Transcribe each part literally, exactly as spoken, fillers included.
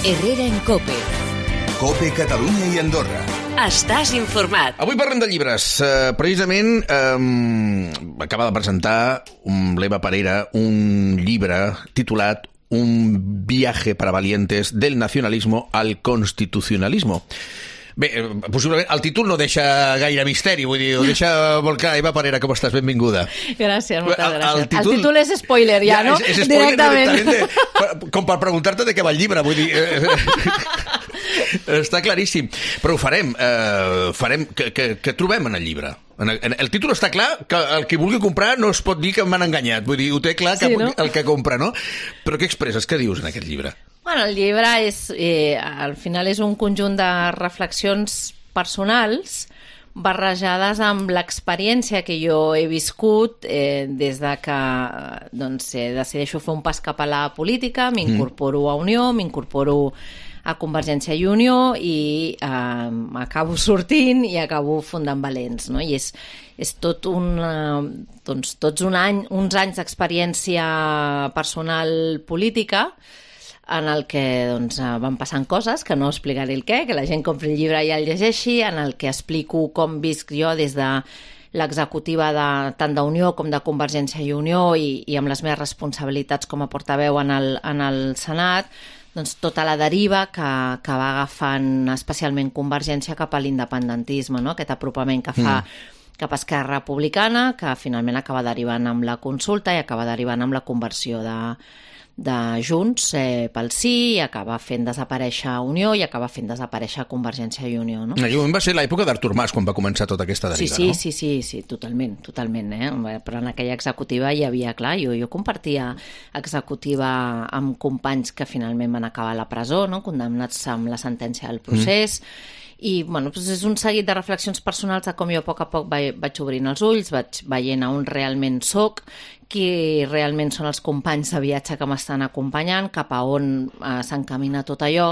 Herrera en Cope. Cope Catalunya i Andorra. Estàs informat. Avui parlem de llibres. Uh, precisament um, acaba de presentar um, l'Eva Parera un llibre titulat Un viaje para valientes del nacionalismo al constitucionalismo. Bé, possiblement el títol no deixa gaire misteri, vull dir, ho deixa volcar. Eva Parera, com estàs? Benvinguda. Gràcies, moltes el, gràcies. El títol, el títol és spoiler, ja, ja no? És, és spoiler directament. directament. Com per preguntar-te de què va el llibre, vull dir... Està claríssim. Però ho farem. Eh, farem que, que, que trobem en el llibre? En el, en el títol està clar que el que vulgui comprar no es pot dir que m'han enganyat. Vull dir, ho té clar que, sí, no? El que compra, no? Però què expresses? Què dius en aquest llibre? Bueno, el llibre és, eh, al final és un conjunt de reflexions personals barrejades amb l'experiència que jo he viscut eh, des de que doncs, eh, decideixo fer un pas cap a la política, m'incorporo mm. a Unió, m'incorporo a Convergència i Unió i eh, acabo sortint i acabo fundant Valents, no? I és, és tot un, eh, doncs, tots un any, uns anys d'experiència personal política en el que doncs, van passant coses, que no explicaré el què, que la gent compri el llibre i el llegeixi, en el que explico com visc jo des de l'executiva de, tant d'Unió com de Convergència i Unió i, i amb les meves responsabilitats com a portaveu en el, en el Senat, doncs tota la deriva que, que va agafant especialment Convergència cap a l'independentisme, no? Aquest apropament que fa mm. cap a Esquerra Republicana, que finalment acaba derivant amb la consulta i acaba derivant amb la conversió de de Junts eh, pel sí, i acaba fent desaparèixer Unió i acaba fent desaparèixer Convergència i Unió. No? En aquell moment va ser l'època d'Artur Mas quan va començar tota aquesta deriva, sí, sí, no? Sí, sí, sí, totalment, totalment. Eh? Però en aquella executiva hi havia, clar, jo, jo compartia executiva amb companys que finalment van acabar a la presó, no? Condemnats amb la sentència del procés, mm. I bueno, doncs és un seguit de reflexions personals de com jo a poc a poc vaig, vaig obrint els ulls, vaig veient a on realment soc, qui realment són els companys de viatge que m'estan acompanyant, cap a on eh, s'encamina tot allò,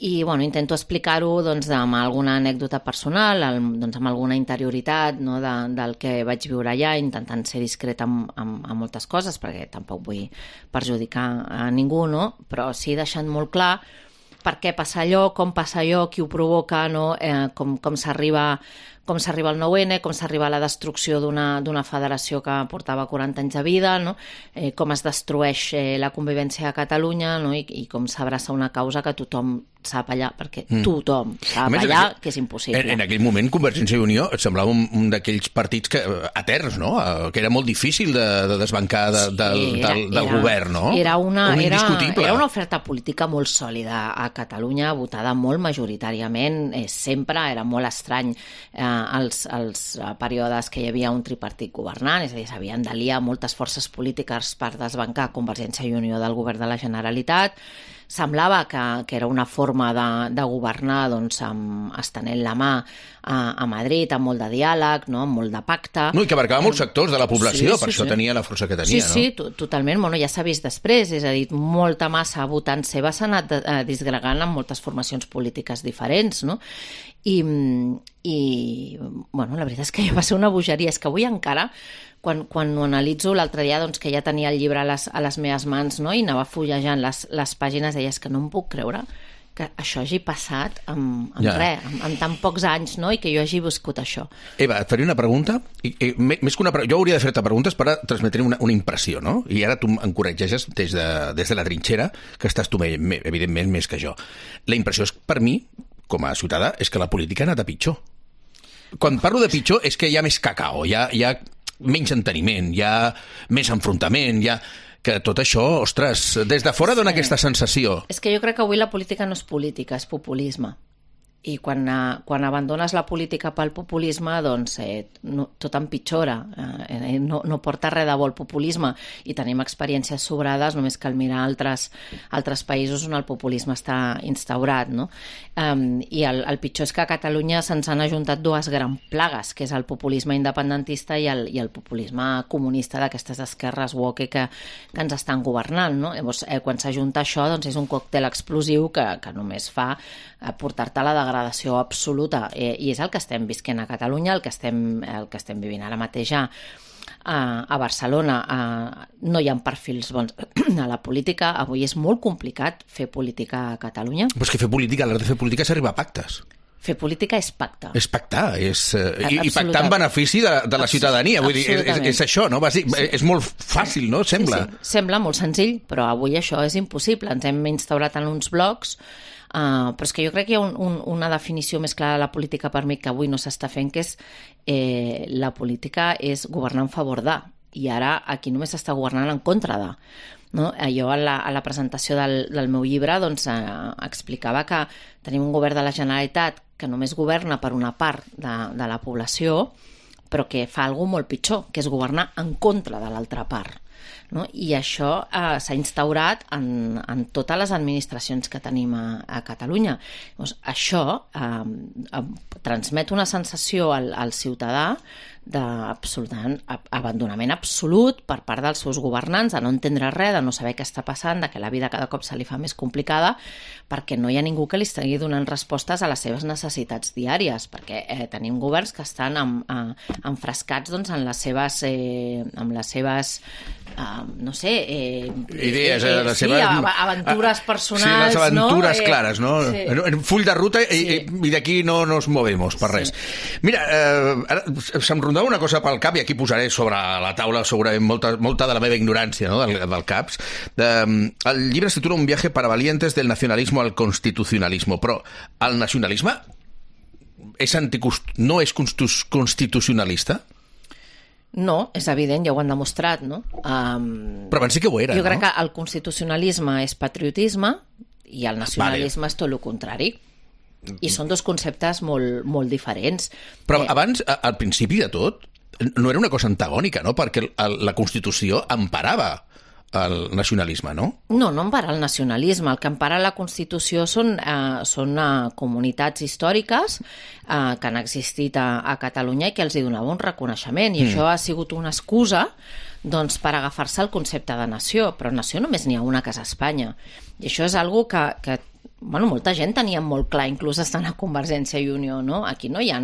i bueno, intento explicar-ho doncs, amb alguna anècdota personal, amb, doncs, amb alguna interioritat, no, de, del que vaig viure allà, intentant ser discreta amb, amb, amb moltes coses, perquè tampoc vull perjudicar a ningú, no? Però sí deixant molt clar per què passa allò, com passa allò, qui ho provoca, no? eh, com, com s'arriba com s'arriba al nou ene, com s'arriba a la destrucció d'una d'una federació que portava quaranta anys de vida, no? eh, com es destrueix eh, la convivència a Catalunya, no? I, i com s'abraça una causa que tothom sap allà, perquè mm. tothom sap allà aquell, que és impossible. En, en aquell moment Convergència i Unió et semblava un, un d'aquells partits que, eterns, no? Que era molt difícil de, de desbancar de, sí, del, era, del, del era, govern, no? Era una, un era, indiscutible. Era una oferta política molt sòlida a Catalunya, votada molt majoritàriament, eh, sempre era molt estrany eh, els, els períodes que hi havia un tripartit governant, és a dir, s'havien d'aliar moltes forces polítiques per desbancar Convergència i Unió del govern de la Generalitat. Semblava que, que era una forma de, de governar doncs, amb, estenent la mà a, a Madrid, amb molt de diàleg, no? Amb molt de pacte. No, i que abarcava molts sectors de la població, sí, sí, per això sí. tenia la força que tenia, sí, no? Sí, sí, totalment. Bueno, ja s'ha vist després, és a dir, molta massa votant seva s'ha anat eh, disgregant amb moltes formacions polítiques diferents, no? I, i bueno, la veritat és que ja va ser una bogeria, és que avui encara quan, quan ho analitzo l'altre dia, doncs, que ja tenia el llibre a les, a les meves mans, no? I anava fullejant les, les pàgines, deies que no em puc creure que això hagi passat amb, amb ja. res, amb, amb tan pocs anys, no? I que jo hagi viscut això. Eva, et faré una pregunta, i, i, més que una pregunta, jo hauria de fer-te preguntes per transmetre una, una impressió, no? I ara tu em corregeixes des de, des de la trinxera, que estàs tu, evidentment, més que jo. La impressió és, per mi, com a ciutadà, és que la política ha anat a pitjor. Quan parlo de pitjor és que hi ha més cacao, hi ha, hi ha menys enteniment, hi ha més enfrontament, hi ha... que tot això, ostres, des de fora dona sí. aquesta sensació. És que jo crec que avui la política no és política, és populisme. I quan, quan abandones la política pel populisme, doncs eh, no, tot empitjora. Eh, no, no porta res de bo el populisme. I tenim experiències sobrades, només cal mirar altres, altres països on el populisme està instaurat, no? Um, I el, el pitjor és que a Catalunya se'ns han ajuntat dues grans plagues, que és el populisme independentista i el, i el populisme comunista d'aquestes esquerres woke que, que ens estan governant, no? Llavors, eh, quan s'ajunta això, doncs és un còctel explosiu que, que només fa eh, portar-te a la degradació absoluta, eh, i és el que estem visquent a Catalunya, el que estem, el que estem vivint ara mateix ja a, a Barcelona a, no hi ha perfils bons a la política. Avui és molt complicat fer política a Catalunya. Però és que fer política, a l'hora de fer política és arribar a pactes. Fer política és pactar. És pactar, és, uh, i, i pactar en benefici de, de la ciutadania. Vull dir, és, és això, no? Bàsic, sí. És molt fàcil, no? Sembla. Sí, sí. Sembla molt senzill, però avui això és impossible. Ens hem instaurat en uns blocs, uh, però és que jo crec que hi ha un, un, una definició més clara de la política per mi que avui no s'està fent, que és eh, la política és governar en favor de, i ara aquí només s'està governant en contra de. No? Jo a la, a la presentació del, del meu llibre doncs, eh, explicava que tenim un govern de la Generalitat que només governa per una part de, de la població, però que fa alguna molt pitjor, que és governar en contra de l'altra part. No? I això eh, s'ha instaurat en, en totes les administracions que tenim a, a Catalunya. Llavors, això eh, eh, transmet una sensació al, al ciutadà d'abandonament absolut per part dels seus governants, de no entendre res, de no saber què està passant, de que la vida cada cop se li fa més complicada, perquè no hi ha ningú que li estigui donant respostes a les seves necessitats diàries, perquè eh, tenim governs que estan en, en, enfrascats doncs, en les seves, eh, amb les seves Uh, no sé... Eh, Idees, eh, eh, les sí, seves... aventures personals, sí, les aventures no? clares, no? Sí. En full de ruta i, sí. i d'aquí no nos movemos per res. Sí. Mira, eh, ara se'm rondava una cosa pel cap i aquí posaré sobre la taula segurament molta, molta de la meva ignorància, no? del, del CAPS. De, el llibre es titula Un viaje para valientes del nacionalismo al constitucionalismo, però el nacionalisme és anticonst... no és constitucionalista? No, és evident, ja ho han demostrat, no? Um, Però abans sí que ho era, jo no? crec que el constitucionalisme és patriotisme i el nacionalisme vale. És tot el contrari. I són dos conceptes molt, molt diferents. Però eh, abans, al principi de tot, no era una cosa antagònica, no? Perquè la Constitució emparava el nacionalisme, no? No, no empara el nacionalisme. El que empara la Constitució són, eh, són eh, comunitats històriques eh, que han existit a, a Catalunya i que els hi donava un reconeixement. I mm. això ha sigut una excusa doncs, per agafar-se al concepte de nació. Però nació només n'hi ha una que és Espanya. I això és algo que, que bueno, molta gent tenia molt clar, inclús estant a Convergència i Unió, no? Aquí no hi ha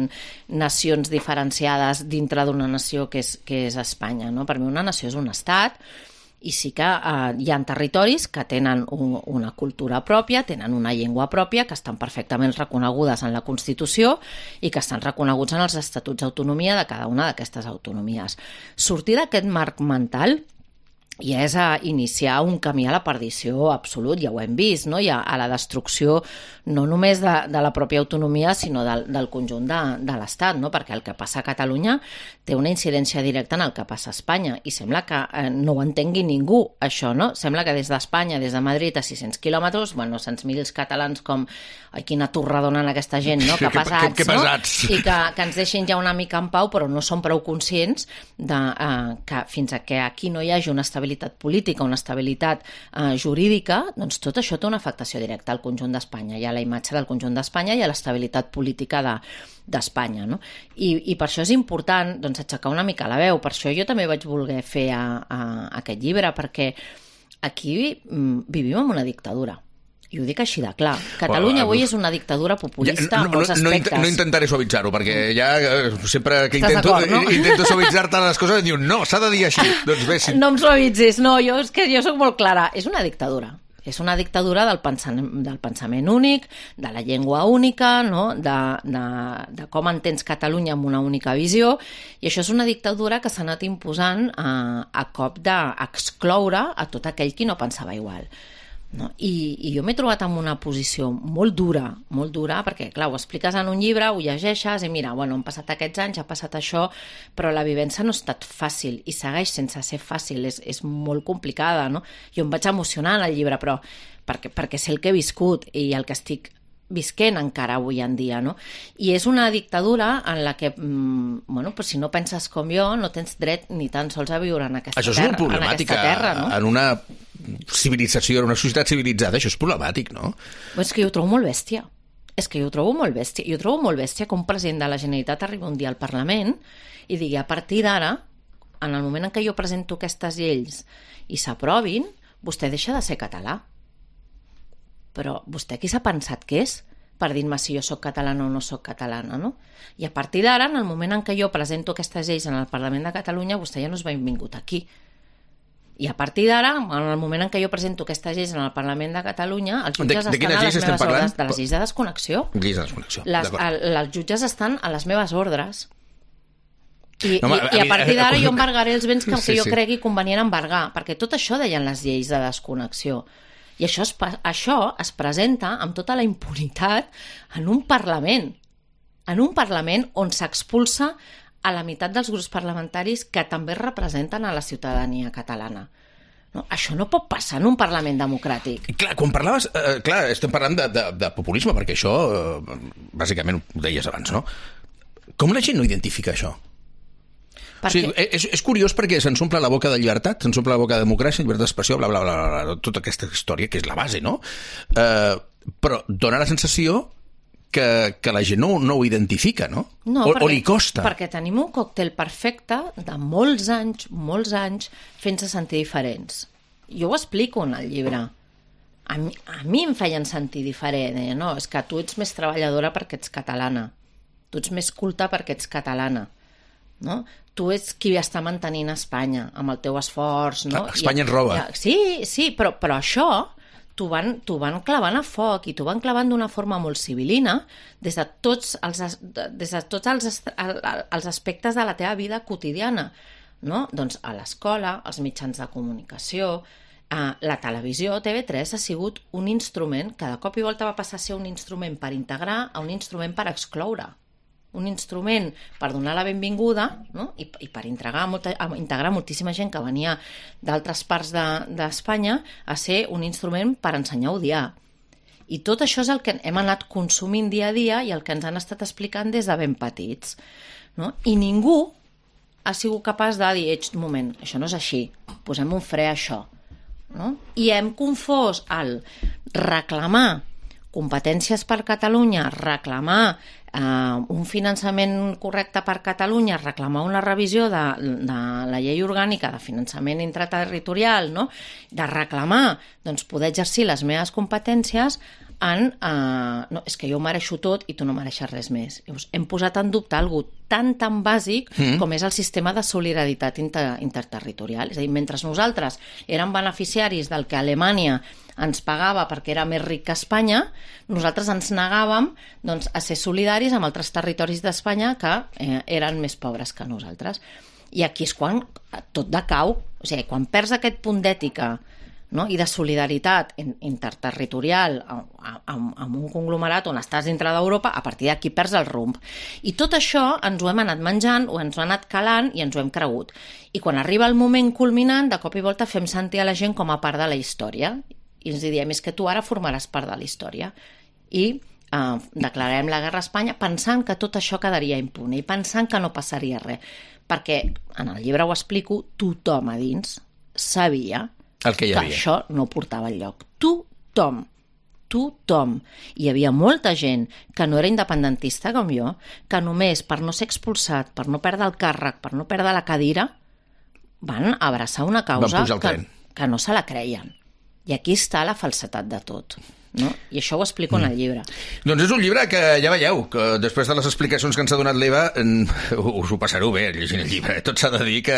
nacions diferenciades dintre d'una nació que és, que és Espanya, no? Per mi una nació és un estat. I sí que eh, hi ha territoris que tenen un, una cultura pròpia, tenen una llengua pròpia, que estan perfectament reconegudes en la Constitució i que estan reconeguts en els estatuts d'autonomia de cada una d'aquestes autonomies. Sortir d'aquest marc mental ja és a iniciar un camí a la perdició absolut, ja ho hem vist, no? I a, a la destrucció no només de, de la pròpia autonomia, sinó del, del conjunt de, de l'Estat, no? Perquè el que passa a Catalunya té una incidència directa en el que passa a Espanya, i sembla que eh, no ho entengui ningú, això, no? Sembla que des d'Espanya, des de Madrid, a sis-cents quilòmetres, bueno, cent mil catalans com, ai, quina torra donen aquesta gent, no? Que pesats, que, que, que pesats. No? I que, que ens deixin ja una mica en pau, però no són prou conscients de, eh, que fins a que aquí no hi hagi una estabilitat política, una estabilitat eh, jurídica, doncs tot això té una afectació directa al conjunt d'Espanya, i a la imatge del conjunt d'Espanya i a l'estabilitat política de, d'Espanya, no? I, I per això és important doncs, aixecar una mica la veu. Per això jo també vaig voler fer a, a, a aquest llibre, perquè aquí mm, vivim en una dictadura. I ho dic així de clar. Catalunya avui és una dictadura populista ja, no, en molts aspectes. No, no intentaré suavitzar-ho, perquè ja sempre que intento, no? intento suavitzar-te les coses diuen no, s'ha de dir així. Doncs bé, si... No em suavitzis, no, jo, és que jo soc molt clara. És una dictadura. És una dictadura del pensament, del pensament únic, de la llengua única, no? de, de, de com entens Catalunya amb una única visió, i això és una dictadura que s'ha anat imposant a, a cop d'excloure a tot aquell qui no pensava igual. No? I, i jo m'he trobat en una posició molt dura, molt dura, perquè clar, ho expliques en un llibre, ho llegeixes i mira, bueno, han passat aquests anys, ha passat això, però la vivència no ha estat fàcil i segueix sense ser fàcil, és, és molt complicada, no? Jo em vaig emocionar en el llibre, però perquè, perquè sé el que he viscut i el que estic visquent encara avui en dia, no? I és una dictadura en la que, mmm, bueno, pues si no penses com jo, no tens dret ni tan sols a viure en aquesta això és terra, molt problemàtic, en aquesta terra, no? En una civilització, en una societat civilitzada, això és problemàtic, no? És que jo ho trobo molt bèstia. És que jo ho trobo molt bèstia. Jo trobo molt bèstia que un president de la Generalitat arribi un dia al Parlament i digui, a partir d'ara, en el moment en què jo presento aquestes lleis i s'aprovin, vostè deixa de ser català. Però vostè qui s'ha pensat que és? per dir-me si jo sóc catalana o no sóc catalana, no? I a partir d'ara, en el moment en què jo presento aquestes lleis en el Parlament de Catalunya, vostè ja no és benvingut aquí. I a partir d'ara, en el moment en què jo presento aquestes lleis en el Parlament de Catalunya, els jutges de, de estan a les meves parlant? ordres. De les lleis de desconnexió. Lleis de desconnexió, les, el, els jutges estan a les meves ordres. I, no, i, a, i a a partir d'ara a, jo embargaré els béns que, sí, que jo sí. cregui convenient embargar, perquè tot això deien les lleis de desconnexió. I això es, això es presenta amb tota la impunitat en un Parlament, en un Parlament on s'expulsa a la meitat dels grups parlamentaris que també representen a la ciutadania catalana. No, això no pot passar en un Parlament democràtic. Clar, quan parlaves... Eh, clar, estem parlant de, de, de populisme, perquè això, eh, bàsicament, ho deies abans, no? Com la gent no identifica això? Perquè... O sigui, és, és curiós perquè se'ns omple la boca de llibertat, se'ns omple la boca de democràcia, llibertat d'expressió, bla, bla, bla, bla, bla, tota aquesta història, que és la base, no? Eh, però dona la sensació que, que la gent no, no ho identifica, no? No, o, perquè, o li costa. Perquè tenim un còctel perfecte de molts anys, molts anys, fent-se sentir diferents. Jo ho explico en el llibre. A mi, a mi em feien sentir diferent. Eh? No, és que tu ets més treballadora perquè ets catalana. Tu ets més culta perquè ets catalana. No? Tu ets qui està mantenint Espanya amb el teu esforç. No? Espanya ens roba. I, sí, sí, però, però això t'ho van, t'ho van clavant a foc i t'ho van clavant d'una forma molt civilina des de tots els, des de tots els, els aspectes de la teva vida quotidiana. No? Doncs a l'escola, als mitjans de comunicació, eh, la televisió, T V tres ha sigut un instrument que de cop i volta va passar a ser un instrument per integrar a un instrument per excloure. Un instrument per donar la benvinguda, no? I, i per integrar, molta, integrar moltíssima gent que venia d'altres parts d'Espanya de, a ser un instrument per ensenyar a odiar. I tot això és el que hem anat consumint dia a dia i el que ens han estat explicant des de ben petits. No? I ningú ha sigut capaç de dir, un moment, això no és així, posem un fre a això. No? I hem confós el reclamar competències per Catalunya, reclamar eh, un finançament correcte per Catalunya, reclamar una revisió de, de la llei orgànica de finançament intraterritorial, no? De reclamar doncs, poder exercir les meves competències en... Eh, no, és que jo ho mereixo tot i tu no mereixes res més. Llavors, hem posat en dubte algo tan, tan bàsic mm. com és el sistema de solidaritat inter, interterritorial. És a dir, mentre nosaltres érem beneficiaris del que Alemanya ens pagava perquè era més ric que Espanya, nosaltres ens negàvem doncs, a ser solidaris amb altres territoris d'Espanya que eh, eren més pobres que nosaltres. I aquí és quan tot decau, o sigui, quan perds aquest punt d'ètica, no? I de solidaritat interterritorial amb, amb un conglomerat on estàs dintre d'Europa, a partir d'aquí perds el rumb. I tot això ens ho hem anat menjant, o ens ho hem anat calant i ens ho hem cregut. I quan arriba el moment culminant, de cop i volta fem sentir a la gent com a part de la història. I ens diem, és que tu ara formaràs part de la història. I eh, declararem la guerra a Espanya pensant que tot això quedaria impune i pensant que no passaria res. Perquè, en el llibre ho explico, tothom a dins sabia el que, que això no portava enlloc. Tothom. Tothom. Hi havia molta gent que no era independentista com jo, que només per no ser expulsat, per no perdre el càrrec, per no perdre la cadira, van abraçar una causa que, que no se la creien. I aquí està la falsetat de tot. No? I això ho explico mm. en el llibre. Doncs és un llibre que ja veieu, que després de les explicacions que ens ha donat l'Eva, us ho passareu bé llegint el llibre. Tot s'ha de dir que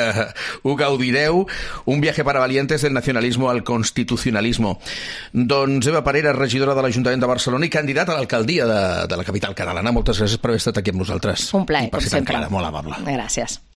ho gaudireu. Un viaje para valientes del nacionalismo al constitucionalismo. Doncs Eva Parera, regidora de l'Ajuntament de Barcelona i candidata a l'alcaldia de, de la capital catalana. Moltes gràcies per haver estat aquí amb nosaltres. Un plaer, com sempre. Clara, molt amable. Gràcies.